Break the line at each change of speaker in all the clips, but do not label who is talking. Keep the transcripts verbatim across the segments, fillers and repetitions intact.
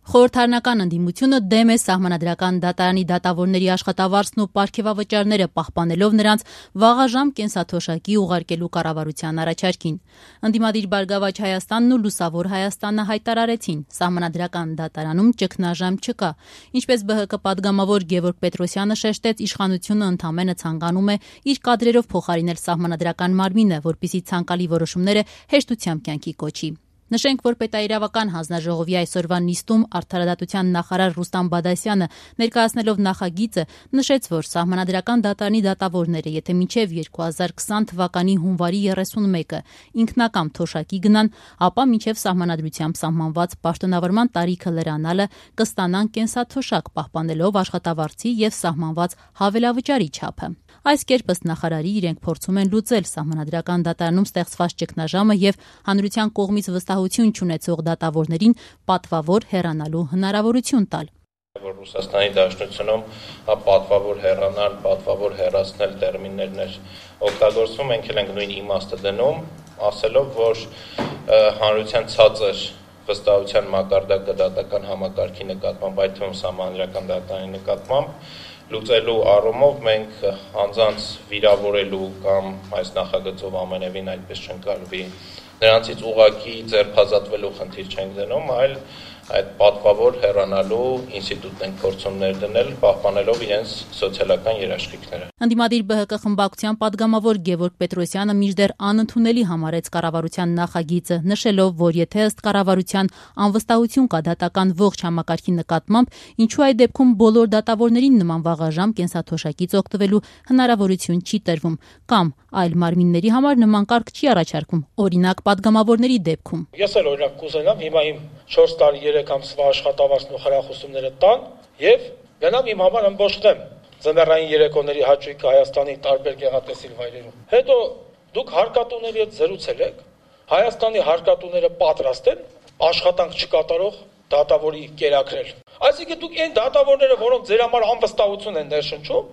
Խորհրդարանական ընդդիմությունը դեմ է սահմանադրական դատարանի դատավորների աշխատավարձն ու պարգևավճարները պահպանելով նրանց վաղաժամ կենսաթոշակի ուղարկելու կառավարության առաջարկին։ Ընդդիմադիր Բարգավաճ Հայաստանն ու Լուսավոր Հայաստանը հայտարարեցին, սահմանադրական դատարանում ճգնաժամ չկա։ Ինչպես ԲՀԿ պատգամավոր Գևորգ Պետրոսյանը շեշտեց, իշխանությունը ընդամենը ցանկանում է իր կադրերով փոխարինել սահմանադրական մարմինը, որպեսզի ցանկալի որոշումները հեշտությամբ կյանքի կոչի։ Նշենք, որ պետաիրավական հանձնաժողովի այսօրվա նիստում արդարադատության նախարար Ռուստամ Բադասյանը ներկայացնելով նախագիծը նշեց, որ սահմանադրական դատարանի դատավորները, եթե մինչև երկու հազար քսան թվականի հունվարի երեսունմեկը ինքնակամ թոշակի գնան, ապա մինչև սահմանադրությամբ սահմանված պաշտոնավարման տարիքը լրանալը կստանան կենսաթոշակ պահպանելով աշխատավարձի եւ սահմանված հավելավճարի չափը։ Այս կերպ ըստ նախարարի իրենք փորձում են լուծել սահմանադրական դատարանում ստեղծված ճգնաժամը եւ հանրության կողմից վստահություն չունեցող դատավորներին պատվավոր հեռանալու հնարավորություն տալ։
Որ Ռուսաստանի Դաշնությունում պատվավոր հեռանալ, պատվավոր հեռացնել տերմիններներ օգտագործվում, մենք էլ ենք նույն իմաստը դնում, ասելով, որ հանրության ցածր վստահության մակարդակը դատական համակարգի նկատմամբ, այդ թվում սահմանադրական դատարանի նկատմամբ լուծելու առումով մենք անձանց վիրավորելու կամ այս նախագծով ամենևին այդպես չընկալվի նրանցից ուղղակի ձերբազատվելու խնդիր չենք դնում, այլ այդ պատվավոր հեռանալու ինստիտուտն ենք փորձում ներդնել, պահպանելով իրենց սոցիալական երաշխիքները։
Ընդդիմադիր ԲՀԿ խմբակցության պատգամավոր Գևորգ Պետրոսյանը մինչդեռ անընդունելի համարեց կառավարության նախագիծը, նշելով, որ եթե ըստ կառավարության անվստահություն կա դատական ողջ համակարգի նկատմամբ, ինչու այդ դեպքում բոլոր դատավորներին նման վաղաժամ կենսաթոշակից օգտվելու հնարավորություն չի տրվում, կամ այլ մարմինների համար նման կարգ չի առաջարկում, օրինակ պատգամավորների դեպքում։
Ես էլ օրինակ կուզենամ հիմա իմ չորս տարի երեք ամսվա աշխատավարձն ու խրախուսումները տան եւ գնամ իմ համար ըմբոշխտեմ ձմեռային երեկոների հաճույքը Հայաստանի տարբեր գեղատեսիլ վայրերում։ Հետո դուք հարկատուների հետ զրուցել եք, Հայաստանի հարկատուները պատրաստ են աշխատանք չկատարող դատավորի կերակրել։ Այսինքն դուք այն դատավորները, որոնք ձեր համար անվստահություն են ներշնչում,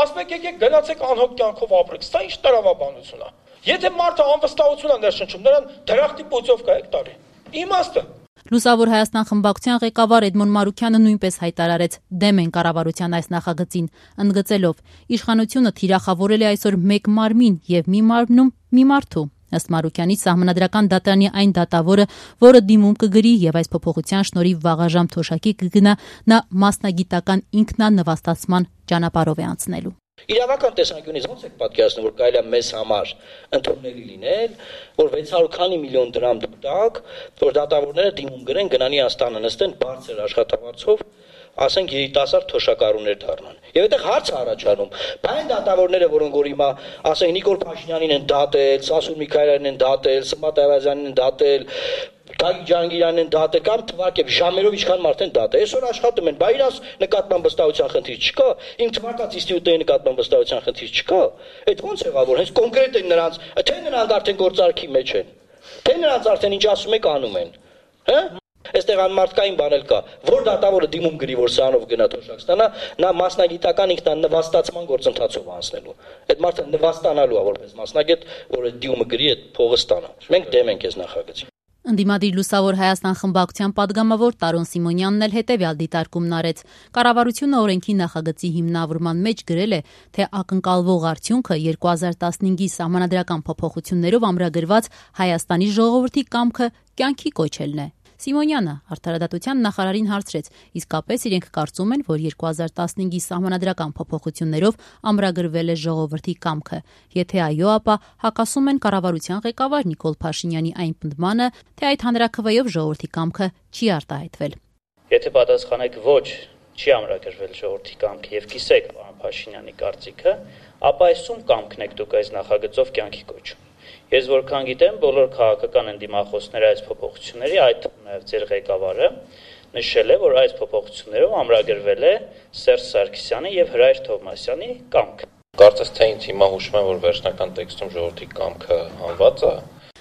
ասում եք եկեք գնացեք անհոգ կյանքով ապրեք, սա ինչ տրամաբանություն է։ Եթե մարդը անվստահություն է ներշնչում, նրան դրախտի պոծովկա եք տալի։ Իմաստը։
Լուսավոր Հայաստան խմբակցության ղեկավար Էդմոն Մարուքյանը նույնպես հայտարարեց դեմ են կառավարության այս նախագծին, ընդգծելով իշխանությունը թիրախավորել է այսօր մեկ մարմին եւ մի մարմնում մի մարդու։ Ըստ Մարուքյանի սահմանադրական դատարանի այն դատավորը, որը դիմում կգրի եւ այս փոփոխության շնորհիվ վաղաժամ թոշակի կգնա, նա մասնագիտական ինքնանվաստացման ճանապարհով է անցնելու։
Իրավական տեսանկյունից ո՞նց եք պատկերացնում, որ կարելի է մեզ համար ընդունելի լինել, որ վեց հարյուր քանի միլիոն դրամ տակ, որ դատավորները դիմում գրեն գնանի Աստանը նստեն բարձր աշխատավարձով, ասենք երիտասարդ թոշակառուներ դառնան։ Եվ այդտեղ հարց է առաջանում, բա այն դատավորները, որոնք որ հիմա, ասենք Նիկոլ Փաշինյանին են դատել, Սասուն Միքայելյանին են դատել, Սմատ Այվազյանին են դատել, Գագիկ Ջահանգիրյանին են դատել կամ թվարկել ժամերով ինչքան մարդ են դատել։ Այսօր աշխատում են, բա իրանց նկատմամբ վստահության խնդիր չկա, իմ թվարկած ինստիտուտների նկատմամբ վստահության խնդիր չկա։ Այդ ո՞նց եղավ, որ հենց կոնկրետ են նրանց, թե նրանք արդեն գործարքի մեջ են, թե նրանց արդեն ինչ ասում եք անում են, հա։ Այստեղ անմարդկային բան էլ կա, որ դատավորը դիմում գրի, որ սրանով գնա թոշակ ստանա, նա մասնագիտական ինքնանվաստացման գործընթացով անցնելու։ Այդ մարդը նվաստանալու է որպես մասնագետ, որ այդ դիմումը գրի, այդ փողը ստանա։ Մենք դեմ ենք այս նախագծին։
Ընդդիմադիր Լուսավոր Հայաստան խմբակցության պատգամավոր Տարոն Սիմոնյանն էլ հետևյալ դիտարկումն արեց։ Կառավարությունը օրենքի նախագծի հիմնավորման մեջ գրել է, թե ակնկալվող արդյունքը երկու հազար տասնհինգի սահմանադրական փոփոխություններով ամրագրված Հայաստանի ժողովրդի կամքը կյանքի կոչելն է։ Սիմոնյանը արդարադատության նախարարին հարցրեց, իսկապես իրենք կարծում են, որ երկու հազար տասնհինգի սահմանադրական փոփոխություններով ամրագրվել է ժողովրդի կամքը։ Եթե այո, ապա հակասում են կառավարության ղեկավար Նիկոլ Փաշինյանի այն պնդմանը, թե այդ հանրաքվեով ժողովրդի կամքը չի արտահայտվել։
Եթե պատասխանեք ոչ, չի ամրագրվել ժողովրդի կամքը եւ կիսեք պարոն Փաշինյանի կարծիքը, ապա այս ում կամքն եք դուք այս նախագծով կյանքի կոչում։ Ես որքան գիտեմ, բոլոր քաղաքական ընդդիմախոսները այս փոփոխությունների, այդ նաև ձեր ղեկավարը նշել է, որ այս փոփոխություններով ամրագրվել է Սերժ Սարգսյանի եւ Հրայր Թովմասյանի կամքը։
Կարծես թե ինձ հիմա հուշում եմ, որ վերջնական տեքստում ժողովրդի կամքը հանված է։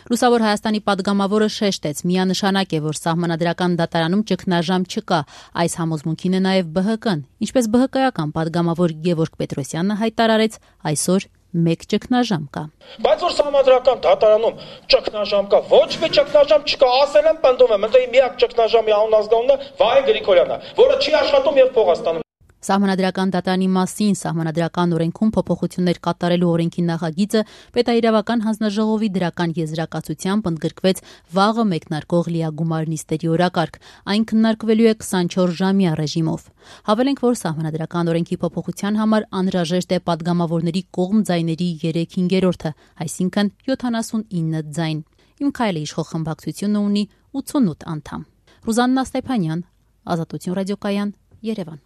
Լուսավոր Հայաստանի պատգամավորը շեշտեց, միանշանակ է, որ սահմանադրական դատարանում ճգնաժամ չկա, այս համոզմունքին է նաև ԲՀԿ-ն, ինչպես ԲՀԿ-ական պատգամավոր Գևորգ Պետրոսյանը հայտարարեց այսօր մեկ ճգնաժամ կա։
Բայց որ սահմանադրական դատարանում ճգնաժամ կա, ոչ մի ճգնաժամ չկա, ասել եմ, պնդում եմ, ընդ միակ ճգնաժամի անուն ազգանունը Վահե Գրիգորյանն է, որը չի աշխատում եւ փող ստանում։
Սահմանադրական դատարանի մասին Սահմանադրական օրենքում փոփոխություններ կատարելու օրենքի նախագիծը պետաիրավական հանձնաժողովի դրական եզրակացությամբ ընդգրկվեց վաղը մեկնարկող լիագումար նիստերի օրակարգ։ Այն քննարկվելու է քսանչորս ժամյա ռեժիմով։ Հավելենք, որ Սահմանադրական օրենքի փոփոխության համար անհրաժեշտ է падգամավորների կողմ ձայների երեք հինգերորդը, այսինքն յոթանասունինը ձայն։ Իմ քայլը իշխող խմբակցությունը ունի ութսունութ անդամ։ Ռուզաննա Ստեփանյան, Ազատություն ռադիոկայան, Երևան։